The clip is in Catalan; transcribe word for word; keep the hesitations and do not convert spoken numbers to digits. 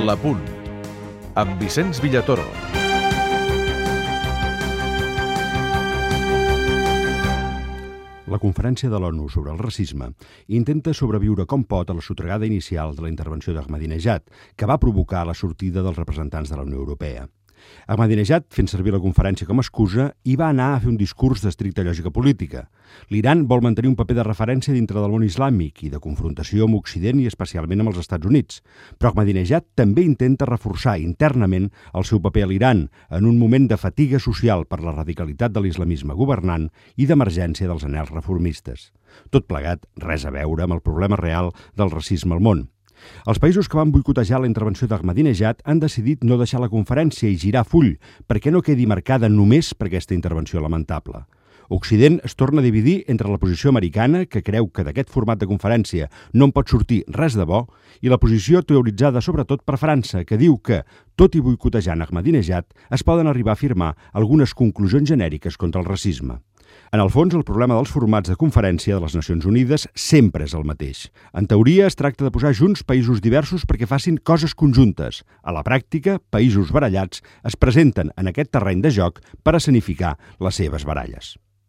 L'Apunt, amb Vicenç Villatoro. La Conferència de l'ONU sobre el racisme intenta sobreviure com pot a la sotragada inicial de la intervenció d'Ahmadinejad, que va provocar la sortida dels representants de la Unió Europea. Ahmadinejad, fent servir la conferència com a excusa, hi va anar a fer un discurs d'estricta lògica política. L'Iran vol mantenir un paper de referència dintre del món islàmic i de confrontació amb Occident i especialment amb els Estats Units. Però Ahmadinejad també intenta reforçar internament el seu paper a l'Iran en un moment de fatiga social per la radicalitat de l'islamisme governant i d'emergència dels anhels reformistes. Tot plegat, res a veure amb el problema real del racisme al món. Els països que van boicotejar la intervenció d'Ahmadinejad han decidit no deixar la conferència i girar full perquè no quedi marcada només per aquesta intervenció lamentable. Occident es torna a dividir entre la posició americana, que creu que d'aquest format de conferència no en pot sortir res de bo, i la posició teoritzada sobretot per França, que diu que, tot i boicotejant Ahmadinejad, es poden arribar a afirmar algunes conclusions genèriques contra el racisme. En el fons, el problema dels formats de conferència de les Nacions Unides sempre és el mateix. En teoria, es tracta de posar junts països diversos perquè facin coses conjuntes. A la pràctica, països barallats es presenten en aquest terreny de joc per escenificar les seves baralles.